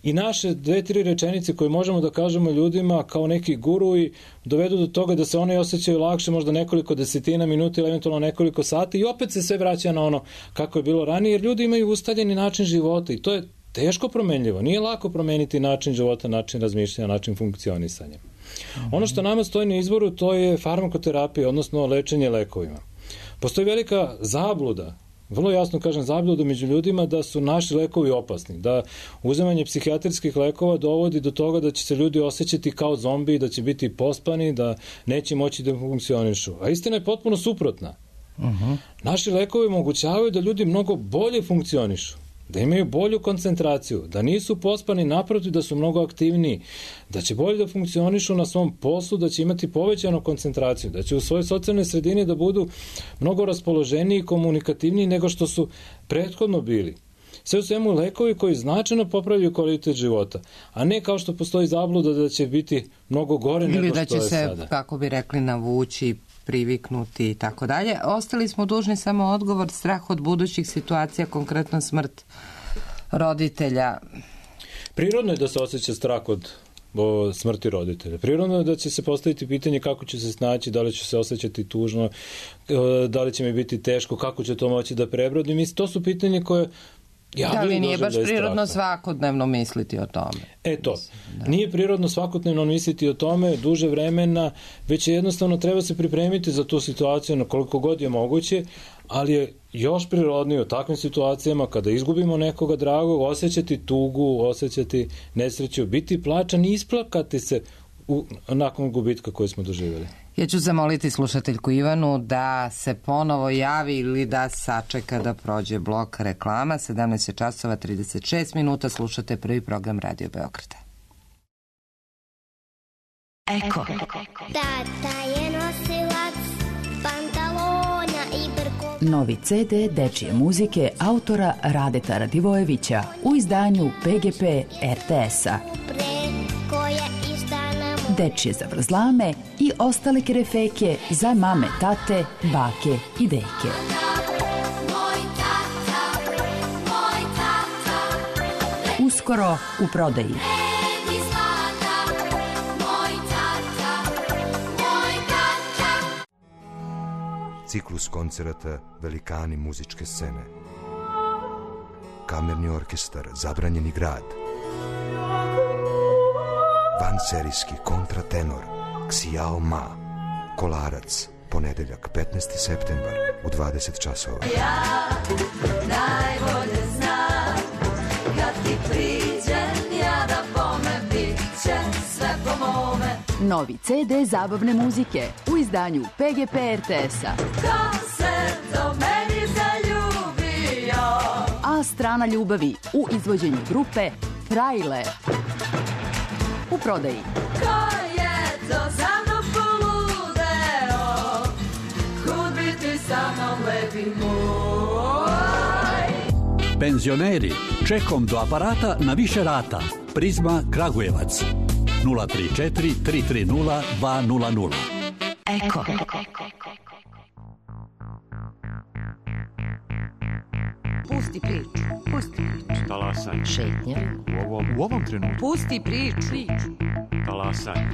I naše dve, tri rečenice koje možemo da kažemo ljudima kao neki guruji dovedu do toga da se oni osjećaju lakše možda nekoliko desetina minuta ili eventualno nekoliko sati i opet se sve vraća na ono kako je bilo ranije, jer ljudi imaju ustaljeni način života i to je teško promenljivo. Nije lako promeniti način života, način razmišljanja, način funkcionisanja. Mm-hmm. Ono što nama stoji na izboru, to je farmakoterapija, odnosno lečenje lekovima. Postoji velika zabluda, vrlo jasno kažem zabluda među ljudima da su naši lekovi opasni, da uzimanje psihijatrijskih lekova dovodi do toga da će se ljudi osjećati kao zombi, da će biti pospani, da neće moći da funkcionišu. A istina je potpuno suprotna. Mm-hmm. Naši lekovi omogućavaju da ljudi mnogo bolje funkcionišu, da imaju bolju koncentraciju, da nisu pospani, naprotiv da su mnogo aktivniji, da će bolje da funkcionišu na svom poslu, da će imati povećanu koncentraciju, da će u svojoj socijalnoj sredini da budu mnogo raspoloženiji i komunikativniji nego što su prethodno bili. Sve u svemu lekovi koji značajno popravljaju kvalitet života, a ne kao što postoji zabluda da će biti mnogo gore nego što je sada. Ili da će se, kako bi rekli, navući, priviknuti i tako dalje. Ostali smo dužni samo odgovor, strah od budućih situacija, konkretno smrt roditelja. Prirodno je da se osjeća strah od o smrti roditelja. Prirodno je da će se postaviti pitanje kako će se snaći, da li će se osjećati tužno, da li će mi biti teško, kako će to moći da prebrodim. Mislim, to su pitanje koje da li nije baš prirodno svakodnevno misliti o tome? E to, da. Nije prirodno svakodnevno misliti o tome duže vremena, već je jednostavno treba se pripremiti za tu situaciju na koliko god je moguće, ali je još prirodnije u takvim situacijama kada izgubimo nekoga dragog, osjećati tugu, osjećati nesreću, biti plačan i isplakati se u, nakon gubitka koje smo doživjeli. Ja ću zamoliti slušateljku Ivanu da se ponovo javi ili da sačeka da prođe blok reklama. sedamnaest časova trideset šest minuta, slušate prvi program Radio Beograda. Eko. Tata je nosilac pantalona i brkova. Novi ce de dečije muzike autora Radeta Radivojevića u izdanju pe ge pe er te es-a. Dečije zavrzlame i ostale kerefeke za mame, tate, bake i deke. Uskoro u prodaji. Ciklus koncerata Velikani muzičke scene. Kamerni orkestar Zabranjeni grad. Vanserijski kontratenor Xiao Ma. Kolarac, ponedeljak petnaesti septembar u dvadeset časova. Ja najbolje znam kad ti priđem ja da bome bit će sve po mome. Novi ce de zabavne muzike u izdanju pe ge pe er te es-a. Ko se do meni zaljubio? A strana ljubavi u izvođenju grupe Frajle. U prodaji. Ko je to za mnom poludeo? Kud bi ti sa mnom lepi moj? Penzioneri, čekom do aparata na više rata. Prizma Kragujevac. nula tri četiri tri tri nula dva nula nula. Eko. Pusti priču, pusti priču. Talasaj. Šetnja. U ovom, u ovom trenutku. Pusti priču. Talasaj.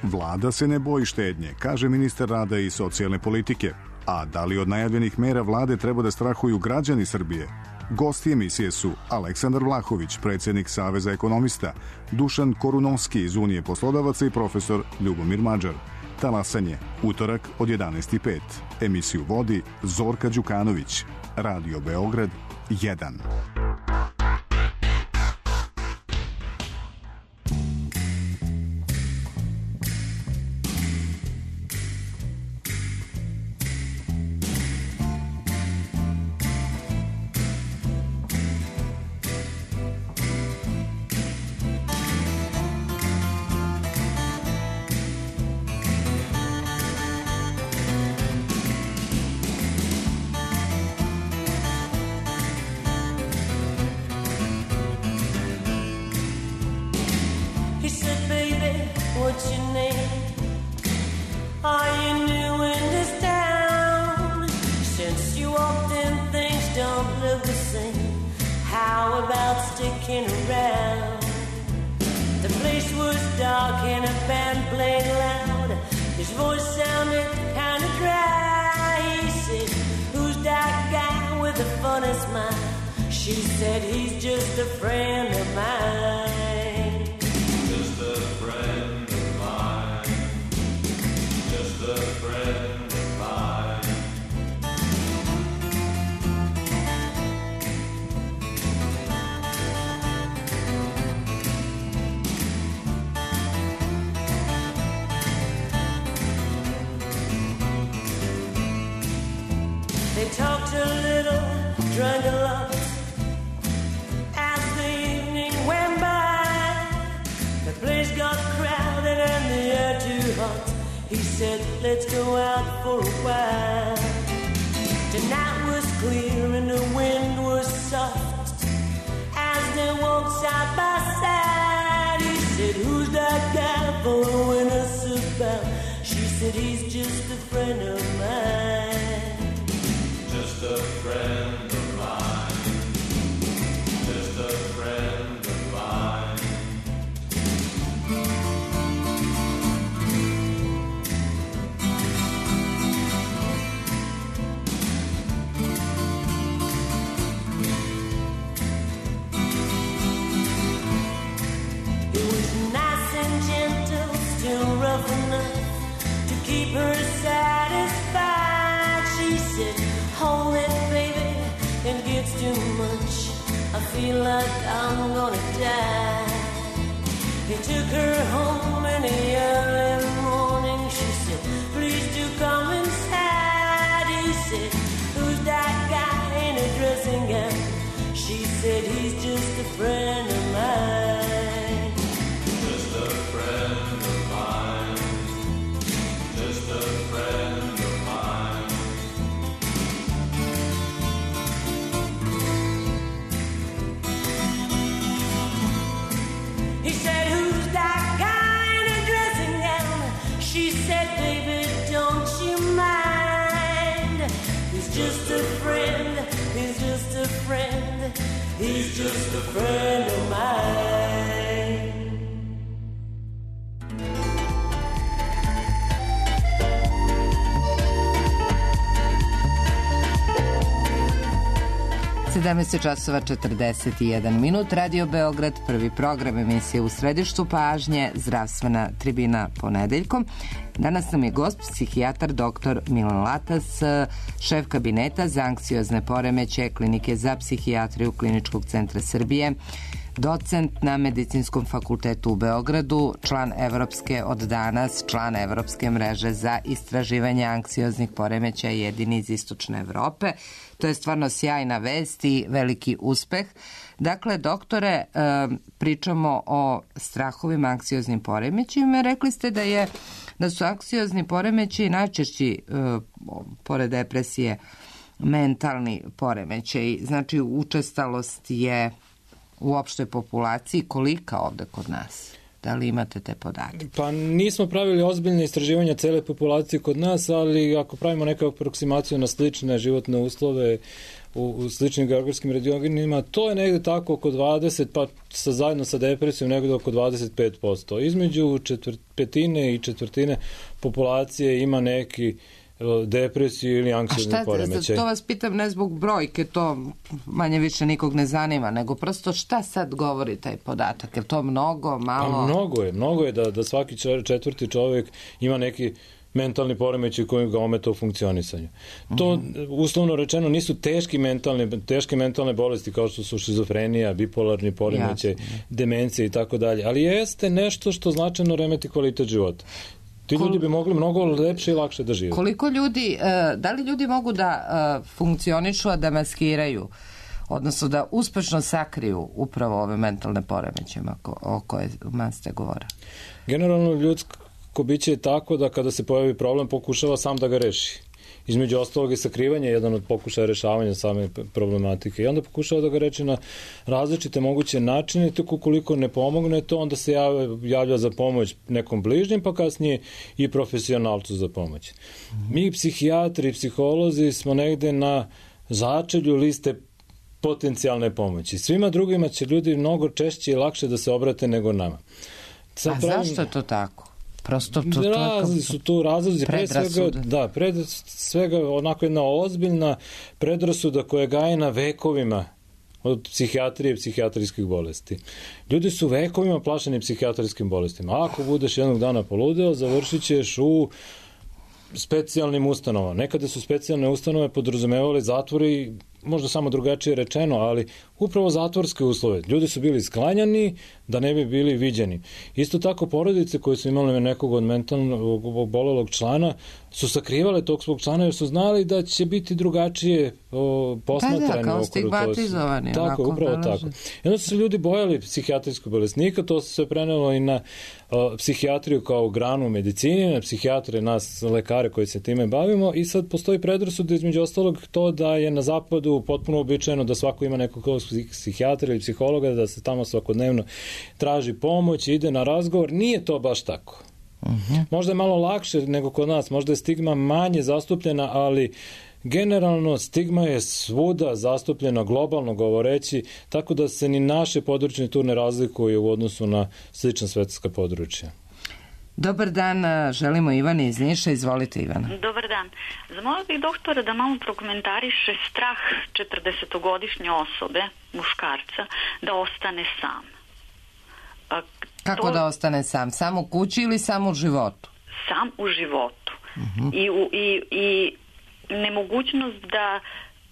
Vlada se ne boji štednje, kaže ministar rada i socijalne politike. A da li od najavljenih mera vlade treba da strahuju građani Srbije? Gosti emisije su Aleksandar Vlahović, predsjednik Saveza ekonomista, Dušan Korunovski iz Unije poslodavaca i profesor Ljubomir Mađar. Talasanje, utorak od jedanaest i pet. Emisiju vodi Zorka Đukanović. Radio Beograd jedan. They talked a little, drank a lot, he said, let's go out for a while. Tonight was clear and the wind was soft as they walked side by side. He said, who's that guy following us about? She said, he's just a friend of mine. Just a friend of mine. Just a friend of mine. It was nice and gentle, still rough enough to keep her satisfied. She said, hold it, baby, it gets too much. I feel like I'm gonna die. He took her home in the early morning. She said, please do come inside. He said, who's that guy in a dressing gown? She said, he's just a friend of mine. Just a friend of mine. Just a friend of mine. He said, who's that guy in a dressing gown? She said, baby, don't you mind? He's just a friend, he's just a friend, he's just a friend of mine. sedamnaest časova četrdeset jedan minut, Radio Beograd, prvi program emisije U središtu pažnje, zdravstvena tribina ponedeljkom. Danas nam je gost psihijatar doktor Milan Latas, šef kabineta za anksiozne poremećaje Klinike za psihijatriju Kliničkog centra Srbije, docent na Medicinskom fakultetu u Beogradu, član Evropske od danas, član Evropske mreže za istraživanje anksioznih poremećaja, jedini iz Istočne Evrope. To je stvarno sjajna vest i veliki uspeh. Dakle, doktore, pričamo o strahovima, anksioznim poremećajima. Rekli ste da je da su anksiozni poremećaji najčešći, pored depresije, mentalni poremećaji. Znači, učestalost je u opštoj populaciji kolika ovde kod nas? Da li imate te podatke? Pa nismo pravili ozbiljne istraživanja cele populacije kod nas, ali ako pravimo neku aproksimaciju na slične životne uslove u, u sličnim geografskim regionima, to je negde tako oko dvadeset, pa sa, zajedno sa depresijom negde oko dvadeset pet posto. Između četvrt, petine i četvrtine populacije ima neki depresiju ili anksiozni poremećaj. To vas pitam ne zbog brojke, to manje više nikog ne zanima, nego prosto šta sad govori taj podatak? Je to mnogo, malo? Pa mnogo je, mnogo je da, da svaki četvrti čovjek ima neki mentalni poremećaj koji ga ometa u funkcionisanju. To, mm -hmm. uslovno rečeno, nisu teški mentalne, teške mentalne bolesti kao što su šizofrenija, bipolarni poremećaj, demencija i tako dalje, ali jeste nešto što značajno remeti kvalitet života. Ti ljudi bi mogli mnogo lepše i lakše da žive. Koliko ljudi, da li ljudi mogu da funkcionišu, a da maskiraju, odnosno da uspešno sakriju upravo ove mentalne poremećaje o kojima ste govorili? Generalno ljudsko biće je tako da kada se pojavi problem pokušava sam da ga reši. Između ostalog je sakrivanje jedan od pokušaja rešavanja same problematike i onda pokušava da ga reči na različite moguće načine, tako koliko ne pomogne to, onda se javlja, javlja za pomoć nekom bližnjem, pa kasnije i profesionalcu za pomoć. Mi psihijatri i psiholozi smo negde na začelju liste potencijalne pomoći. Svima drugima će ljudi mnogo češće i lakše da se obrate nego nama. Sad A pravim... zašto je to tako? Prosto to, to razli su tu razlozi, pre svega, da, pred svega onako jedna ozbiljna predrasuda koja gaje na vekovima od psihijatrije i psihijatrijskih bolesti. Ljudi su vekovima plašeni psihijatrijskim bolestima. Ako budeš jednog dana poludeo, završit ćeš u specijalnim ustanovama. Nekada su specijalne ustanove podrazumevali zatvori možda samo drugačije rečeno, ali upravo zatvorske uslove. Ljudi su bili sklanjani da ne bi bili viđeni. Isto tako porodice koje su imali nekog od mentalnog obolelog člana su sakrivale tog svog člana jer su znali da će biti drugačije o, posmatrani. Da, da, kao stigmatizovani. Tako, upravo tako. I onda su se ljudi bojali psihijatrijskog bolesnika, to se sve prenelo i na o, psihijatriju kao granu medicine, na psihijatre, nas lekare koji se time bavimo i sad postoji predrasud između ostalog to da je na zapadu potpuno običajno da svako ima nekog psihijatra ili psihologa, da se tamo svakodnevno traži pomoć, ide na razgovor. Nije to baš tako. Uh-huh. Možda je malo lakše nego kod nas, možda je stigma manje zastupljena, ali generalno stigma je svuda zastupljena, globalno govoreći, tako da se ni naše područje tu ne razlikuje u odnosu na slična svetska područja. Dobar dan, želimo Ivana iz Niša. Izvolite, Ivana. Dobar dan. Zamolila bih doktora da malo prokomentariše strah četrdesetogodišnje osobe, muškarca, da ostane sam. A, Kako to... da ostane sam? Sam u kući ili sam u životu? Sam u životu. Uh-huh. I, u, i, i nemogućnost da,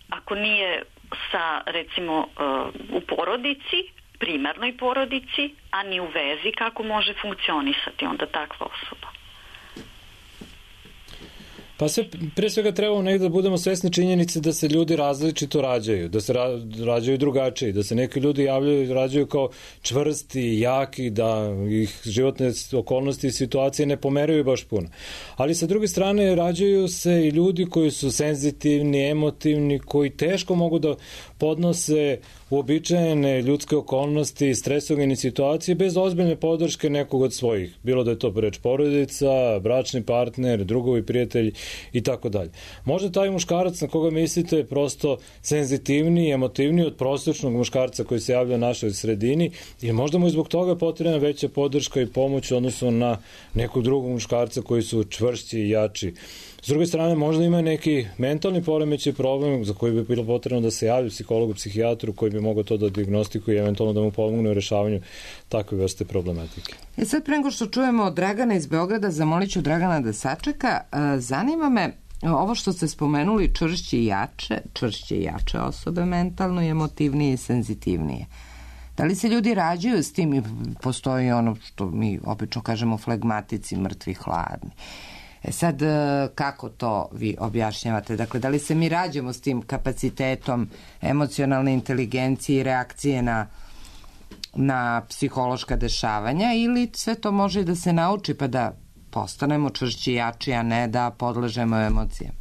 ako nije sa, recimo, uh, u porodici, primarnoj porodici, a ni u vezi, kako može funkcionisati onda takva osoba? Pa sve, pre svega trebamo negdje da budemo svesni činjenice da se ljudi različito rađaju, da se ra, rađaju drugačiji, da se neki ljudi javljaju, rađaju kao čvrsti, jaki, da ih životne okolnosti i situacije ne pomeraju baš puno. Ali sa druge strane rađaju se i ljudi koji su senzitivni, emotivni, koji teško mogu da podnose uobičajene ljudske okolnosti, stresogene situacije bez ozbiljne podrške nekog od svojih. Bilo da je to reč porodica, bračni partner, drugovi, prijatelji i tako dalje. Možda taj muškarac na koga mislite je prosto senzitivniji, emotivniji od prosječnog muškarca koji se javlja u našoj sredini i možda mu je zbog toga potrebna veća podrška i pomoć u odnosu na nekog drugog muškarca koji su čvršći i jači. S druge strane, možda ima neki mentalni poremećaj problem za koji bi bilo potrebno da se javi psihologu, psihijatru koji bi mogao to da dijagnostikuje i eventualno da mu pomogne u rešavanju takve vrste problematike. E sad, pre nego što čujemo od Dragana iz Beograda, zamolit ću Dragana da sačeka. Zanima me ovo što ste spomenuli, čvršće i jače, čvršće i jače osobe mentalno i emotivnije i senzitivnije. Da li se ljudi rađaju s tim i postoji ono što mi obično kažemo flegmatici, mrtvi, hladni? E sad, kako to vi objašnjavate? Dakle, da li se mi rađamo s tim kapacitetom emocionalne inteligencije i reakcije na, na psihološka dešavanja ili sve to može da se nauči pa da postanemo čvršći i jači, a ne da podležemo emocijama?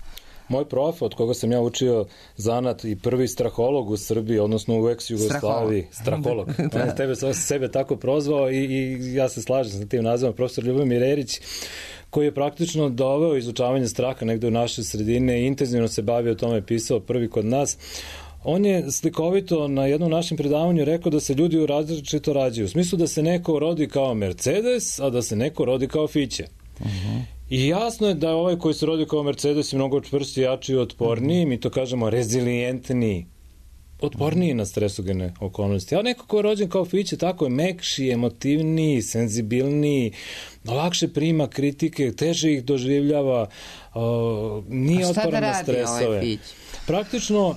Moj prof, od koga sam ja učio zanat i prvi straholog u Srbiji, odnosno u ex-Jugoslaviji, straholog, on je tebe sebe tako prozvao i, i ja se slažem sa tim nazivom, profesor Ljubomir Erić, koji je praktično doveo izučavanje straha negde u naše sredine i intenzivno se bavio o tome, pisao prvi kod nas. On je slikovito na jednom našem predavanju rekao da se ljudi u različito rađaju. U smislu da se neko rodi kao Mercedes, a da se neko rodi kao Fiće. Uh-huh. I jasno je da je ovaj koji se rodi kao Mercedes je mnogo čvršći, jači i otporniji, mi to kažemo rezilijentniji, otporniji na stresogene okolnosti. A neko ko je rođen kao Fiće, tako je mekši, emotivniji, senzibilniji, lakše prima kritike, teže ih doživljava, uh, nije otporan na stresove. Ovaj Praktično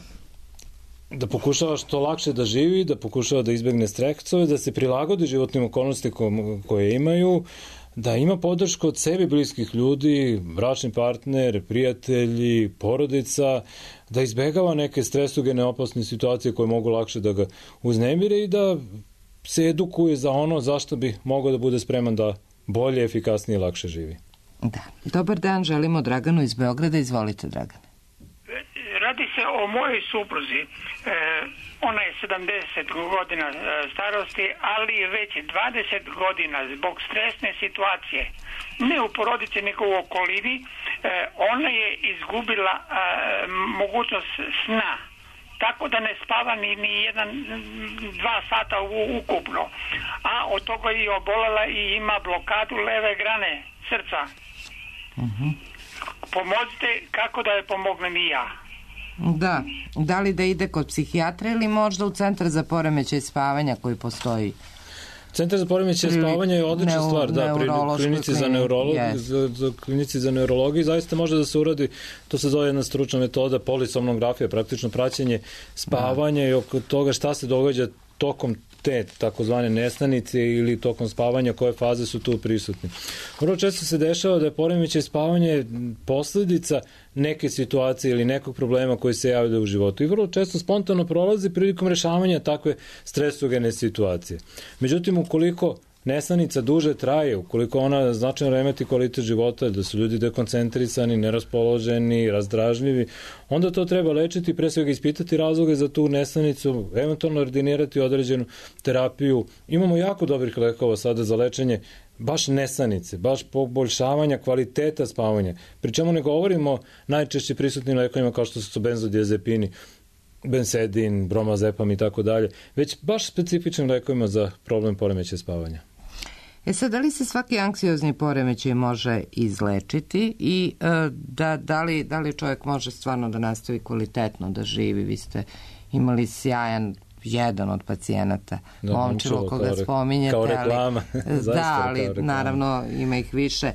da pokušava što lakše da živi, da pokušava da izbegne stresove, da se prilagodi životnim okolnosti koje imaju, da ima podršku od sebi bliskih ljudi, bračni partner, prijatelji, porodica, da izbegava neke stresogene opasne situacije koje mogu lakše da ga uznemire i da se edukuje za ono zašto bi mogao da bude spreman da bolje, efikasnije i lakše živi. Da. Dobar dan, želimo Draganu iz Beograda. Izvolite, Dragane. Radi se o mojoj supruzi. E, ona je sedamdeset godina starosti, ali već dvadeset godina zbog stresne situacije, ne u porodici, nego u okolini, e, ona je izgubila e, mogućnost sna. Tako da ne spava ni, ni jedan, dva sata u, ukupno. A od toga je obolela i ima blokadu leve grane srca. Uh-huh. Pomozite kako da je pomognem i ja. Da, da li da ide kod psihijatra ili možda u centar za poremećaj spavanja koji postoji? Centar za poremećaje spavanja je odlična neu, stvar, da, pri klinici za neurologiju, yes. za, za klinici za neurologiju zaista može da se uradi, to se zove jedna stručna metoda, polisomnografija, praktično praćenje spavanja da. I oko toga šta se događa tokom te takozvane nesnanice ili tokom spavanja, koje faze su tu prisutni. Vrlo često se dešava da je poremećaj spavanja posledica neke situacije ili nekog problema koji se javlja u životu i vrlo često spontano prolazi prilikom rešavanja takve stresogene situacije. Međutim, ukoliko nesanica duže traje, ukoliko ona značajno remeti kvalitet života, da su ljudi dekoncentrisani, neraspoloženi, razdražljivi, onda to treba lečiti, pre svega ispitati razloge za tu nesanicu, eventualno ordinirati određenu terapiju. Imamo jako dobrih lekova sada za lečenje baš nesanice, baš poboljšavanja kvaliteta spavanja. Pri čemu ne govorimo najčešće prisutnim lekovima kao što su benzodiazepini, bensedin, bromazepam i tako dalje, već baš specifičnim lekovima za problem poremećaja spavanja. E sad, da li se svaki anksiozni poremećaj može izlečiti i e, da, da, li, da li čovjek može stvarno da nastavi kvalitetno da živi? Vi ste imali sjajan jedan od pacijenata, da, Momčilo, koga re, spominjete. Kao reklama. Ali, da, ali reklama. Naravno ima ih više. E,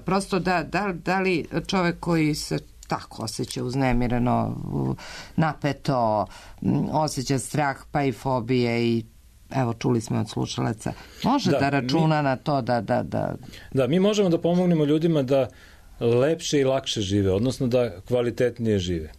prosto da, da, da li čovjek koji se tako osjeća uznemireno, napeto, osjeća strah pa i fobije i evo čuli smo od slušalaca, može da, da računa mi, na to da, da, da... Da, mi možemo da pomognemo ljudima da lepše i lakše žive, odnosno da kvalitetnije žive.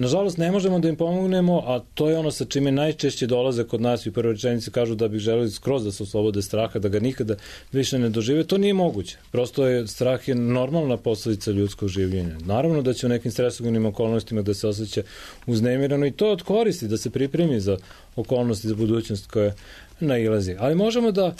Nažalost, ne možemo da im pomognemo, a to je ono sa čime najčešće dolaze kod nas i u prvoj rečenici kažu da bi želeli skroz da se oslobode straha, da ga nikada više ne dožive. To nije moguće. Prosto je strah je normalna posledica ljudskog življenja. Naravno da će u nekim stresogenim okolnostima da se osjeća uznemirano i to odkoristi, da se pripremi za okolnosti, za budućnost koja nailazi. Ali možemo da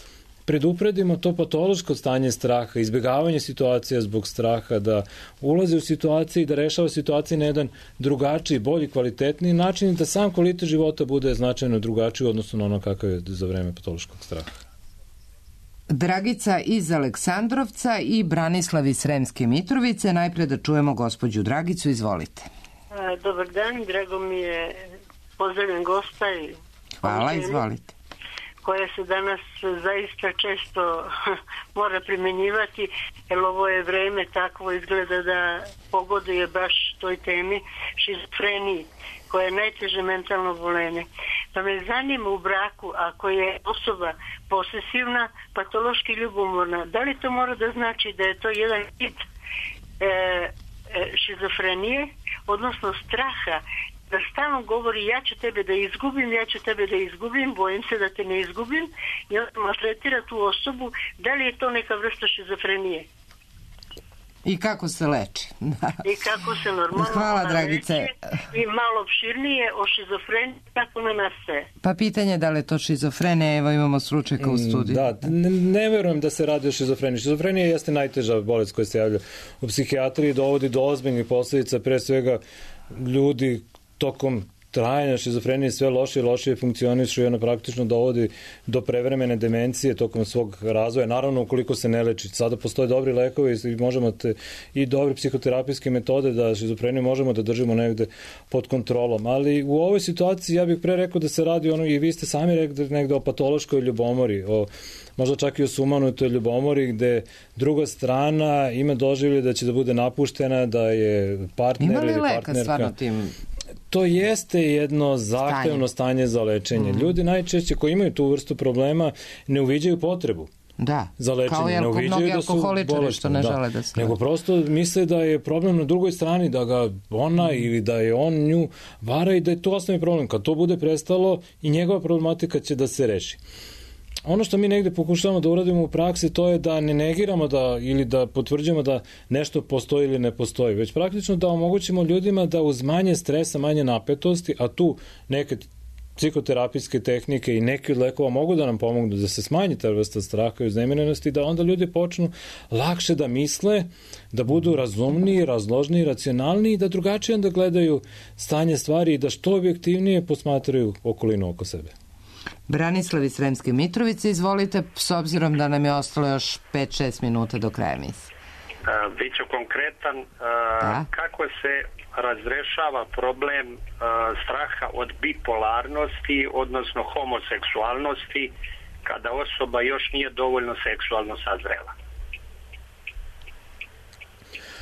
predupredimo to patološko stanje straha, izbjegavanje situacija zbog straha, da ulazi u situaciju i da rešava situacije na jedan drugačiji, bolji, kvalitetniji način i da sam kvalitet života bude značajno drugačiji odnosno na ono kakav je za vreme patološkog straha. Dragica iz Aleksandrovca i Branislav iz Sremske Mitrovice. Najpre da čujemo gospođu Dragicu, izvolite. Dobar dan, drago mi je, pozdravljam gosta i... Hvala, izvolite. Koja se danas zaista često mora primjenjivati, jer ovo je vreme takvo izgleda da pogoduje baš toj temi šizofreniji, koja je najteže mentalno oboljenje. Pa me zanima u braku, ako je osoba posesivna, patološki ljubomorna, da li to mora da znači da je to jedan tip e, e, šizofrenije, odnosno straha, da stalno govori ja ću tebe da izgubim, ja ću tebe da izgubim, bojim se da te ne izgubim i on maltretira tu osobu, da li je to neka vrsta šizofrenije? I kako se leči? I kako se normalno Hvala, Dragice. I malo opširnije o šizofreniji, kako ne nastaje. Pa pitanje je da li je to šizofrenija, evo imamo stručnjaka u studiju. Da, ne, ne verujem da se radi o šizofreniji. Šizofrenija jeste najteža bolest koja se javlja u psihijatriji, dovodi do ozbiljnih posledica, pre svega ljudi tokom trajanja šizofrenije sve lošije i lošije funkcionišu i ona praktično dovodi do prevremene demencije tokom svog razvoja. Naravno, ukoliko se ne leči. Sada postoje dobri lekovi i možemo te, i dobre psihoterapijske metode da šizofreniju možemo da držimo negde pod kontrolom. Ali u ovoj situaciji ja bih pre rekao da se radi ono, i vi ste sami rekli negde o patološkoj ljubomori, o možda čak i o sumanutoj ljubomori gde druga strana ima doživlje da će da bude napuštena, da je partner ili partnerka. Ima li leka stvarno tim? To jeste jedno zahtevno stanje, stanje za lečenje. Mm. Ljudi najčešće koji imaju tu vrstu problema ne uviđaju potrebu da. za lečenje. Kao ne uviđaju da su bolesni, što ne da. žele da se... Nego prosto misle da je problem na drugoj strani, da ga ona mm. ili da je on nju vara i da je to osnovni problem. Kad to bude prestalo i njegova problematika će da se reši. Ono što mi negde pokušavamo da uradimo u praksi, to je da ne negiramo da, ili da potvrđujemo da nešto postoji ili ne postoji, već praktično da omogućimo ljudima da uz manje stresa, manje napetosti, a tu neke psihoterapijske tehnike i neki od lekova mogu da nam pomognu da se smanji ta vrsta straha i uznemirenosti, da onda ljudi počnu lakše da misle, da budu razumniji, razložniji, racionalniji, da drugačije onda gledaju stanje stvari i da što objektivnije posmatraju okolinu oko sebe. Branislav iz Sremske Mitrovice, izvolite, s obzirom da nam je ostalo još pet šest minuta do kraja emisije. Biću konkretan, da. Kako se razrešava problem straha od bipolarnosti, odnosno homoseksualnosti, kada osoba još nije dovoljno seksualno sazrela.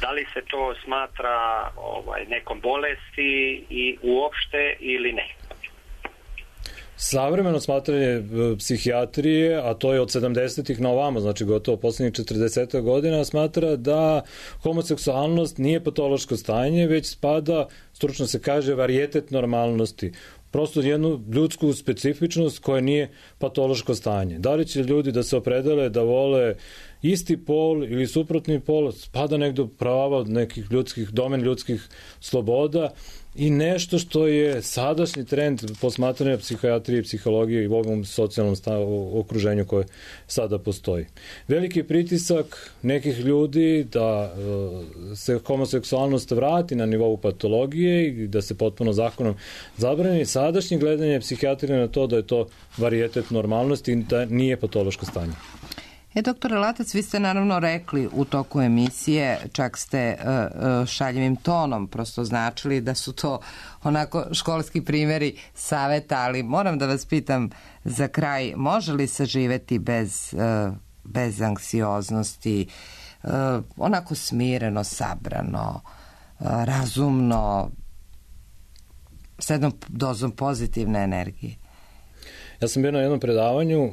Da li se to smatra ovaj, nekom bolesti i uopšte ili ne? Savremeno smatranje psihijatrije, a to je od sedamdesetih na ovamo, znači gotovo poslednjih četrdeset godina, smatra da homoseksualnost nije patološko stanje, već spada, stručno se kaže, varijetet normalnosti. Prosto jednu ljudsku specifičnost koja nije patološko stanje. Da li će ljudi da se opredele da vole isti pol ili suprotni pol, spada negde u prava od nekih ljudskih, domen ljudskih sloboda i nešto što je sadašnji trend posmatranja psihijatrije i psihologije i u ovom socijalnom stavu, okruženju koje sada postoji. Veliki pritisak nekih ljudi da se homoseksualnost vrati na nivou patologije i da se potpuno zakonom zabrani. Sadašnje gledanje psihijatrije na to da je to varijetet normalnosti i da nije patološko stanje. E, doktore Latac, vi ste naravno rekli u toku emisije, čak ste uh, šaljivim tonom prosto značili da su to onako školski primjeri saveta, ali moram da vas pitam za kraj, može li se živeti bez, uh, bez anksioznosti, uh, onako smireno, sabrano, uh, razumno, s jednom dozom pozitivne energije? Ja sam bio na jednom predavanju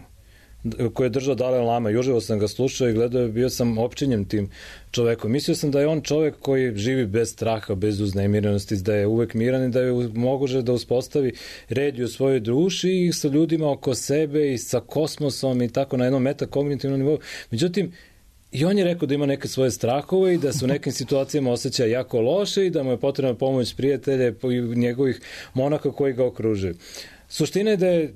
koje je držao Dalaj Lama, i uživo sam ga slušao i gledao, bio sam opčinjen tim čovekom. Mislio sam da je on čovek koji živi bez straha, bez uznemirenosti, da je uvek miran i da je moguće da uspostavi red u svojoj duši i sa ljudima oko sebe i sa kosmosom i tako na jednom metakognitivnom nivou. Međutim, i on je rekao da ima neke svoje strahove i da se u nekim situacijama osjeća jako loše i da mu je potrebna pomoć prijatelja i njegovih monaka koji ga okružuju. Suština je da je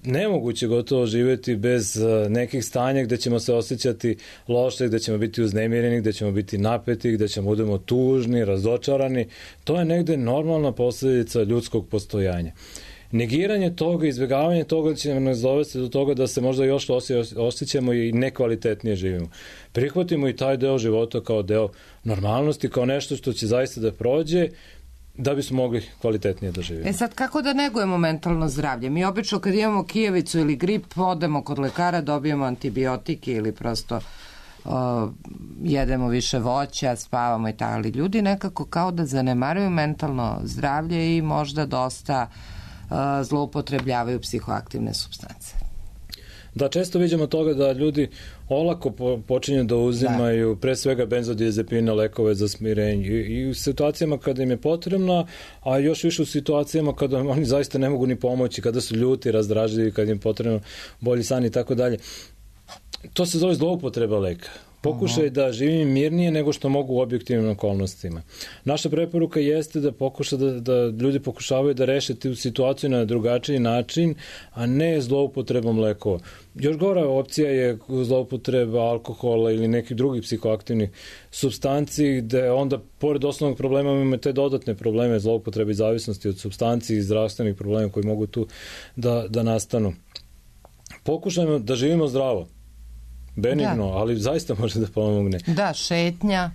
nemoguće gotovo živjeti bez nekih stanja gde ćemo se osjećati loše, gde ćemo biti uznemireni, gde ćemo biti napeti, gde ćemo budemo tužni, razočarani. To je negde normalna posljedica ljudskog postojanja. Negiranje toga, izbjegavanje toga će nas dovesti do toga da se možda još osjećamo i nekvalitetnije živimo. Prihvatimo i taj deo života kao deo normalnosti, kao nešto što će zaista da prođe, da bismo mogli kvalitetnije da živimo. E sad, kako da negujemo mentalno zdravlje? Mi obično kad imamo kijevicu ili grip, odemo kod lekara, dobijemo antibiotike ili prosto uh, jedemo više voća, spavamo i tako, ali ljudi nekako kao da zanemaruju mentalno zdravlje i možda dosta uh, zloupotrebljavaju psihoaktivne supstance. Da, često vidimo toga da ljudi olako po, počinju da uzimaju da. pre svega benzodiazepine, lekove za smirenje i, i u situacijama kada im je potrebno, a još više u situacijama kada oni zaista ne mogu ni pomoći, kada su ljuti, razdražljivi, kada im je potrebno bolji san i tako dalje. To se zove zloupotreba leka. Pokušaj da živim mirnije nego što mogu u objektivnim okolnostima. Naša preporuka jeste da pokuša da, da ljudi pokušavaju da reše tu situaciju na drugačiji način, a ne zloupotrebom lekova. Još gora opcija je zloupotreba alkohola ili nekih drugih psihoaktivnih supstanci, gde onda, pored osnovnog problema, imamo te dodatne probleme zloupotrebe i zavisnosti od supstanci i zdravstvenih problema koji mogu tu da, da nastanu. Pokušajmo da živimo zdravo. Benigno, da. Ali zaista može da pomogne. Da, šetnja.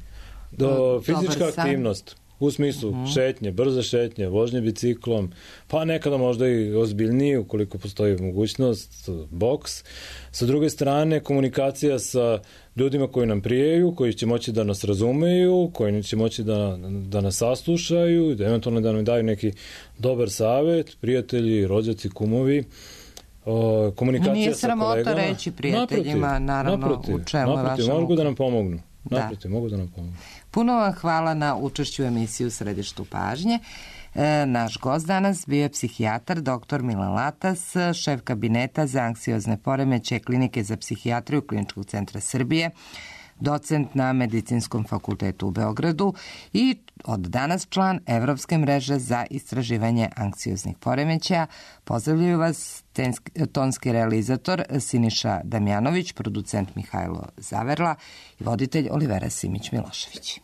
Do, fizička aktivnost, u smislu uh-huh. šetnje, brze šetnje, vožnje biciklom, pa nekada možda i ozbiljnije, ukoliko postoji mogućnost, boks. Sa druge strane, komunikacija sa ljudima koji nam prijaju, koji će moći da nas razumeju, koji će moći da, da nas saslušaju, da eventualno da nam daju neki dobar savet, prijatelji, rođaci, kumovi. O, komunikacija Nije sramota sa kolegama. reći prijateljima, naprotiv, naravno, naprotiv, u čemu je vaša mogu da nam pomognu. Naprotiv, da. mogu da nam pomognu. Puno vam hvala na učešću u emisiji U središtu pažnje. E, naš gost danas bio je psihijatar doktor Milan Latas, šef kabineta za anksiozne poremećaje Klinike za psihijatriju Kliničkog centra Srbije, docent na Medicinskom fakultetu u Beogradu i od danas član Evropske mreže za istraživanje anksioznih poremećaja. Pozdravljaju vas tenski, tonski realizator Siniša Damjanović, producent Mihajlo Zaverla i voditelj Olivera Simić-Milošević.